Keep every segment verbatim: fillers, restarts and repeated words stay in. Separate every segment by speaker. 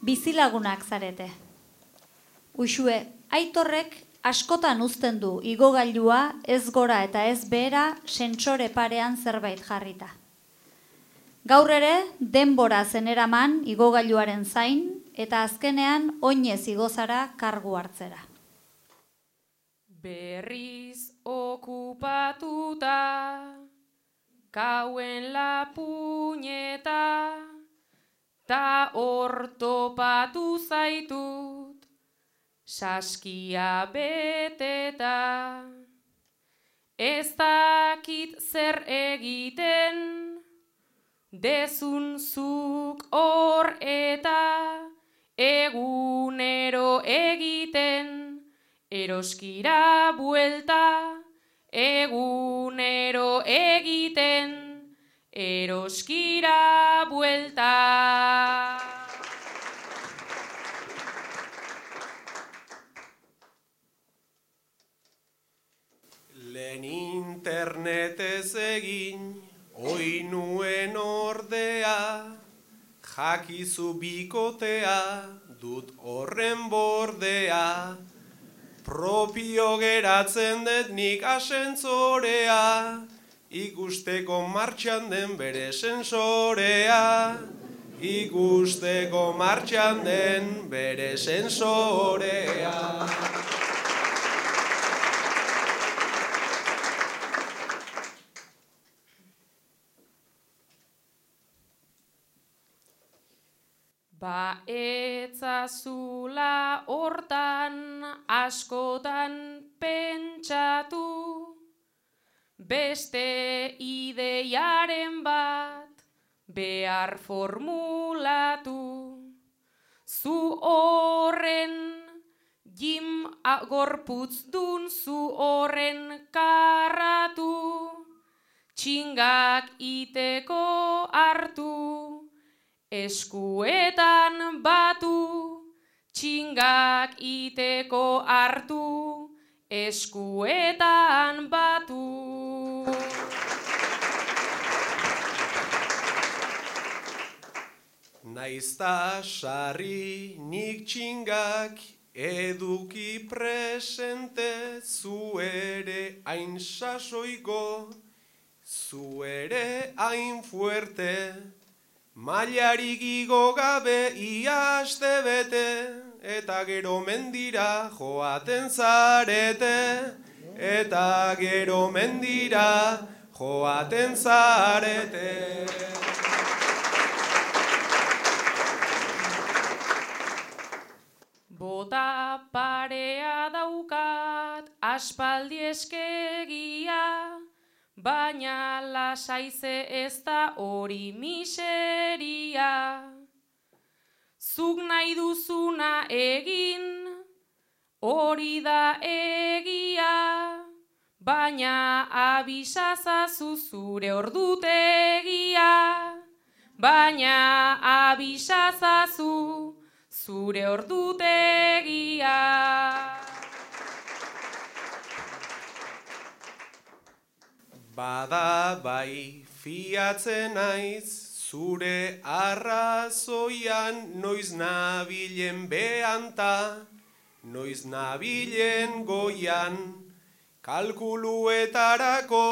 Speaker 1: Bizilagunak zarete. Uxue, Aitorrek askotan uzten du igogailua ez gora eta ez behera sentsore parean zerbait jarrita. Gaur ere, denbora zeneraman igogailuaren zain eta azkenean oinez igozara kargu hartzera.
Speaker 2: Berriz okupatuta, kauen lapuñeta, ta hor topatu zaitut, saskia beteta. Ez dakit zer egiten, dezun zuk hor eta egunero egiten, eroskira buelta, egunero egiten, eroskira buelta.
Speaker 3: Lehen internetez egin, oi nuen ordea, jakizu bikotea, dut horren bordea, propio geratzen dut nik asentzorea, ikusteko martxan den bere sensorea, ikusteko martxan den bere sensorea.
Speaker 2: Ba etzazula hortan askotan pentsatu, beste ideiaren bat behar formulatu. Zu horren jim gorputzdun, zu horren karratu, txingak iteko hartu, eskuetan batu, txingak iteko hartu, eskuetan batu.
Speaker 3: Naizta sarri nik txingak eduki presente, zu ere hain sasoiko, zu ere hain fuerte, mailarik igo gabe ia aste bete, eta gero mendira joaten zarete, eta gero mendira joaten zarete.
Speaker 2: Bota parea daukat aspaldi eskegia, baina lasaize ez da hori miseria. Zuk nahi duzuna egin, hori da egia, baina abisazazu zure ordutegia, baina abisazazu zure ordutegia.
Speaker 3: Bada bai fiatzen naiz, zure arrazoian, noiz nabilen behanta, noiz nabilen goian, kalkuluetarako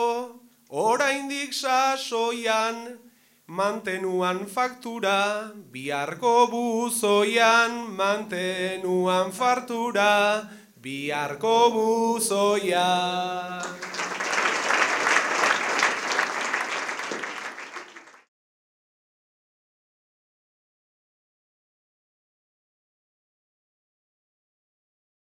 Speaker 3: oraindik sasoian, mantenuan faktura biharko buzoian, mantenuan faktura biharko buzoian.